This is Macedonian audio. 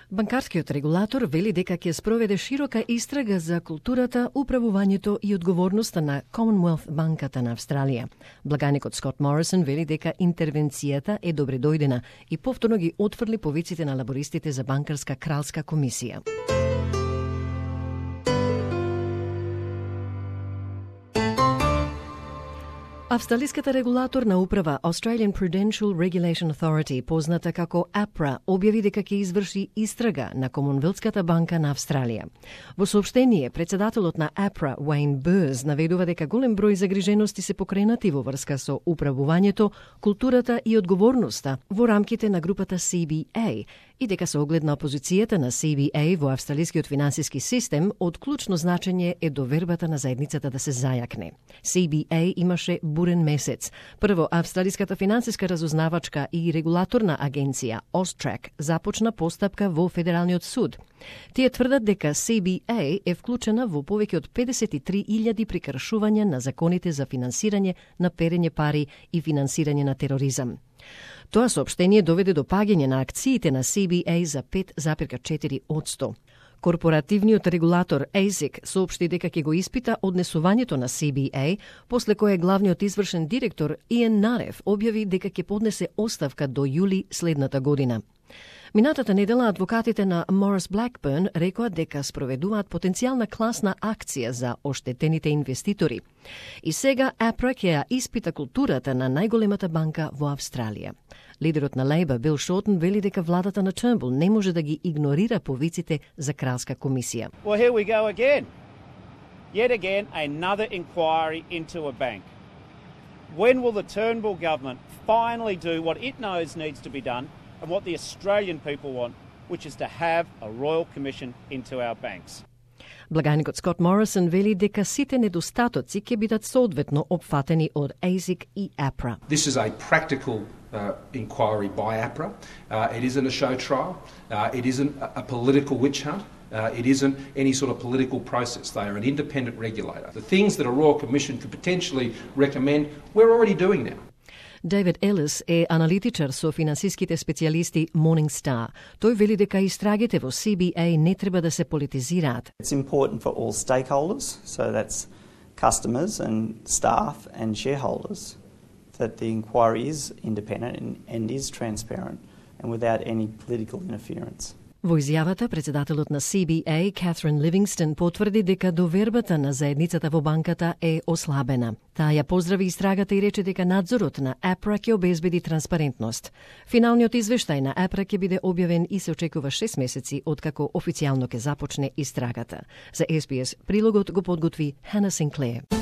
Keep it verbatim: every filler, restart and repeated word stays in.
Банкарскиот регулатор вели дека ќе спроведе широка истрага за културата, управувањето и одговорноста на Commonwealth банката на Австралија. Благаникот Скот Морисон вели дека интервенцијата е добредојдена и повторно ги отфрли повиците на лабористите за банкарска кралска комисија. Австралиската регулаторна управа Australian Prudential Regulation Authority, позната како АПРА, објави дека ќе изврши истрага на Комонвелтската банка на Австралија. Во соопштение, председателот на АПРА, Уейн Бурз, наведува дека голем број загрижености се покренати во врска со управувањето, културата и одговорноста во рамките на групата Си Би Ей и дека со оглед на опозицијата на Си Би Ей во австралискиот финансиски систем, од клучно значење е довербата на заедницата да се зајакне. Си Би Ей имаше бурен месец. Прво, австралиската финансиска разузнавачка и регулаторна агенција Austrac започна постапка во Федералниот суд. Тие тврдат дека Си Би Ей е вклучена во повеќе од педесет и три илјади прекршувања на законите за финансирање на перење пари и финансирање на тероризам. Тоа соопштение доведе до паѓање на акциите на Си Би Ей за пет запирка четири одсто. Корпоративниот регулатор А С И К соопшти дека ќе го испита однесувањето на Си Би Ей, после кое главниот извршен директор Иен Нарев објави дека ќе поднесе оставка до јули следната година. Минатата недела адвокатите на Морис Блакберн рекоа дека спроведуваат потенцијална класна акција за оштетените инвеститори. И сега АПРА ќе ја испита културата на најголемата банка во Австралија. Лидерот на Лейбор Бил Шортон вели дека владата на Тurnbull не може да ги игнорира повиците за кралска комисија. Well, here we go again. Yet again, another inquiry into a bank. When will the Turnbull government finally do what it knows needs to be done and what the Australian people want, which is to have a royal commission into our banks? Благаникот Скот Морисон вели дека сите недостатоци ќе бидат соодветно опфатени од А С И К и АПРА. This is a practical uh, inquiry by APRA. Uh, it isn't a show trial. Uh, it isn't a political witch hunt. Uh, it isn't any sort of political process. They are an independent regulator. The things that a Royal Commission could potentially recommend, we're already doing now. Дейвид Елис е аналитичар со финансиските специјалисти Morningstar. Тој вели дека истрагите во Си Би Ей не треба да се политизираат. It's important for all stakeholders, so that's customers and staff and shareholders, that the inquiry is independent and, and is transparent and without any political interference. Во изјавата, председателот на Си Би Ей, Катрин Ливингстон, потврди дека довербата на заедницата во банката е ослабена. Таа ја поздрави истрагата и рече дека надзорот на АПРА ќе обезбеди транспарентност. Финалниот извештај на АПРА ќе биде објавен и се очекува шест месеци откако официјално ќе започне истрагата. За Ес Би Ес прилогот го подготви Хана Синклер.